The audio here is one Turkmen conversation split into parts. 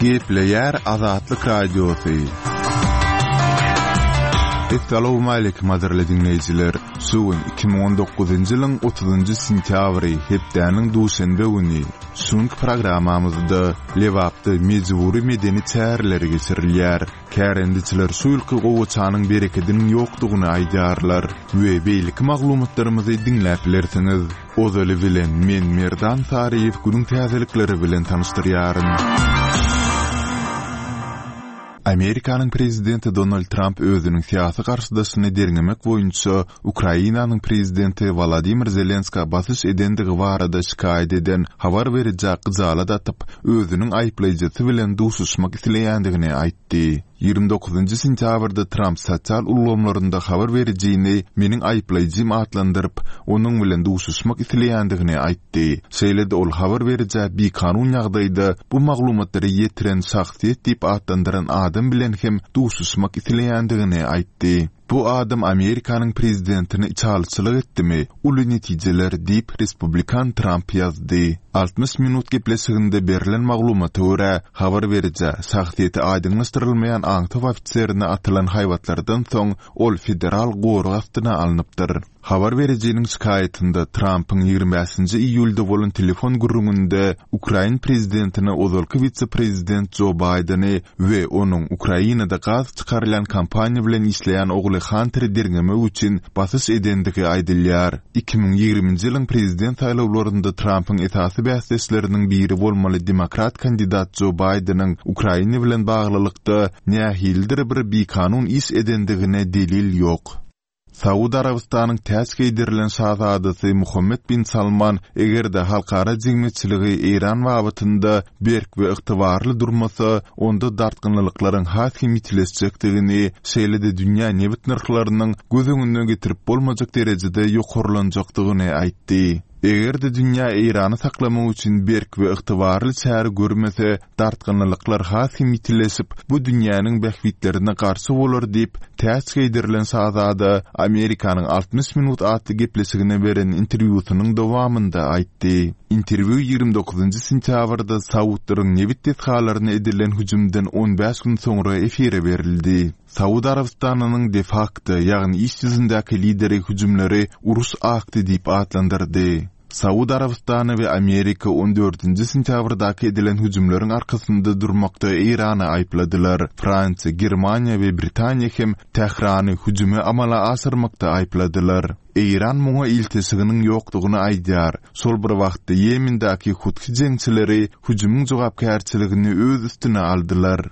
Gepleýär Azatlyk Radiosy. Essalawmaleýkim gadyrly diňleýjiler! Şu gün 2019-njy ýylyň 30-njy sentýabry, hepdäniň duşenbe güni. Şu günki programmamyzda Lebapda mejbury medeni çäreler geçirilýär. Kärendeçiler şu ýylky gowaçanyň berekediniň ýokdugyny aýdýarlar we beýleki maglumatlarymyzy diňläp bilersiňiz. Ozaly bilen men Merdan Saryýew günüň täzelikleri bilen tanyşdyrýaryn. Amerikanyň prezidenti Donald Tramp özüniň syýasy garşydaşyny derňemek boýunça Ukrainanyň prezidenti Wolodymyr Zelenskä basyş edendigi barada şikaýat eden habar berijä gyjalat atyp, özüniň aýyplaýjysy bilen duşuşmak isleýändigini aýtdy. 29-njy sentýabrda Tramp sosial ulgamlarynda habar berijini meniň aýyplaýjym atlandyryp, onuň bilen duşuşmak isleýändigini aýtdy. Şeýle-de ol habar berijä bikanun ýagdaýda bu maglumatlary ýetiren şahsyýet diýip atlandyran adam bilen hem duşuşmak isleýändigini aýtdy. Bu adam Amerikanyň prezidentine içalyçylyk etdimi? Uly netijeler diýip, respublikan Tramp ýazdy. 60 minut gepleşiginde berlen maglumata görä, habar berijä, şahsyýeti aýdyňlaşdyrylmaýan aňtaw ofiserine atylan haýbatlardan soň, ol federal gorag astyna alnypdyr. Habar berijiniň şikaýatynda Trampyň 25-nji iýulda bolan telefon gürrüňinde ukrain prezidentine ozalky wise-prezident Jo Baýdeni we onuň Ukrainada gaz çykarylýan kompaniýa bilen işleýän ogly Hanteri derňemek üçin basyş edendigi aýdylýar. 2020-nji ýylyň prezident saýlawlarynda Trampyň esasy bäsdeşleriniň biri bolmaly demokrat kandidat Jo Baýdeniň Ukraina bilen baglylykda nähilidir bir bikanun iş edendigine delil ýok. Saud Arabystanyň täç geýdirilen şazadasy Muhammed bin Salman eger-de halkara jemgyýetçiligi Eýran babatynda berk we ygtybarly durmasa, onda dartgynlylyklaryň has hem ýitileşjekdigini, şeýle-de dünýä nebit nyrhlarynyň göz öňüne getirip bolmajak derejede ýokarlanjakdygyny aýtdy. Eger-de dünýä Eýrany saklamak üçin berk we ygtybarly çäre görmese, dartgynlylyklar has hem ýitileşip, bu dünýäniň bähbitlerine garşy bolar diýip, täç geýdirilen şazada Amerikanyň 60 minut atly gepleşigine beren interwýusynyň dowamynda aýtdy. Interwýu 29-njy sentýabrda saudlaryň nebit desgalaryna edilen hüjümden 15 gün soňra efire berildi. Saud Arabystanynyň de-fakto, ýagny iş ýüzündäki lideri hüjümleri uruş akty diýip atlandyrdy. Saud Arabystany we Amerika on dördünji sentýabrdaky edilen hüjümleriň arkasynda durmakda Eýrany aýypladylar. Fransiýa, Germaniýa we Britaniýa hem Tährany hüjümi amala aşyrmakda aýypladylar. Eýran muňa ilteşiginiň ýokdugyny aýdýar. Şol bir wagtda Ýemendäki huthy jeňçileri hüjümiň jogapkärçiligini öz üstüne aldylar.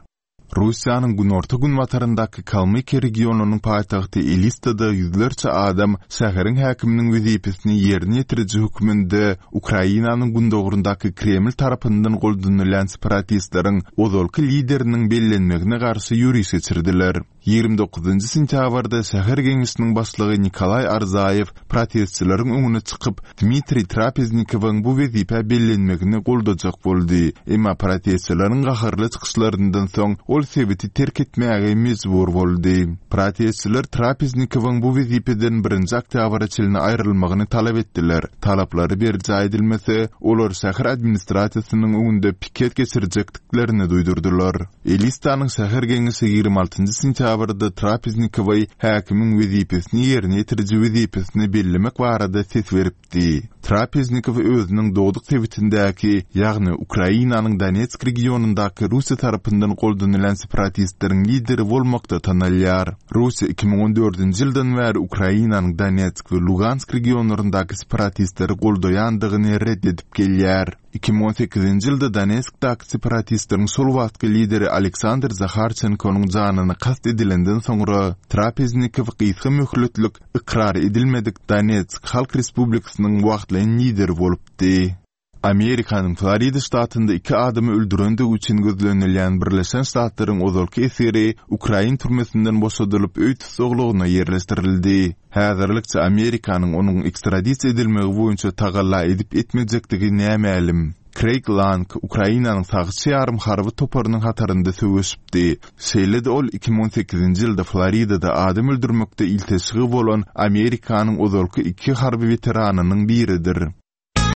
Russiýanyň günorta-günbataryndaky Kalmykiýa regionynyň paýtagty Elistada ýüzlerçe adam şäheriň häkiminiň wezipesini ýerine ýetiriji hökmünde Ukrainanyň gündogaryndaky Kreml tarapyndan goldanylýan separatistleriň ozalky lideriniň bellenmegine garşy ýöriş geçirdiler. 29-njy sentýabrda şäher geňeşiniň başlygy Nikolaý Arzaýew protestçileriň öňüne çykyp, Dmitriý Trapeznikowyň bu wezipä bellenmegini goldajak boldy. Emma protestçileriň gaharly çykyşlaryndan soň ol sebiti terk etmäge mejbur boldy. Protestçiler Trapeznikowyň bu wezipeden birinji oktýabra çenli aýrylmagyny talap etdiler. Talaplary berjaý edilmese, olar şäher administrasiýasynyň öňünde piket geçirjekdiklerini duýdurdylar. Elistanyň şäher geňeşi 26-njy sentýabrda Trapeznikowy häkimiň wezipesini ýerine ýetiriji wezipesine bellemek barada ses beripdi. Trapeznikow özüniň dogduk sebitindäki, ýagny Ukrainanyň Donetsk regionyndaky Russiýa tarapyndan goldanylýan separatistleriň lideri bolmakda tanalýar. Russiýa 2014-nji ýyldan bäri Ukrainanyň Donetsk we Lugansk regionlaryndaky separatistleri goldaýandygyny ret edip gelýär. 2018-nji ýylda Donetskdaky separatistleriň şol wagtky lideri Aleksandr Zaharçenkonyň janyna kast edilenden soňra, Trapeznikow gysga möhletlik ykrar edilmedik Donetsk Halk Respublikasynyň wagtlaýyn lideri bolupdy. Amerikanyň Florida ştatynda iki adamy öldürendigi üçin gözlenilýän Birleşen Ştatlaryň ozalky esgeri ukrain türmesinden boşadylyp, öý tussaglygyna ýerleşdirildi. Häzirlikçe Amerikanyň onuň ekstradisiýa edilmegi boýunça tagalla edip-etmejekdigi nämälim. Kreýg Lang Ukrainanyň sagçy ýarym harby toparynyň hatarynda söweşipdi. Şeýle-de ol 2018-nji ýylda Floridada adam öldürmekde ilteşigi bolan Amerikanyň ozalky iki harby weteranynyň biridir.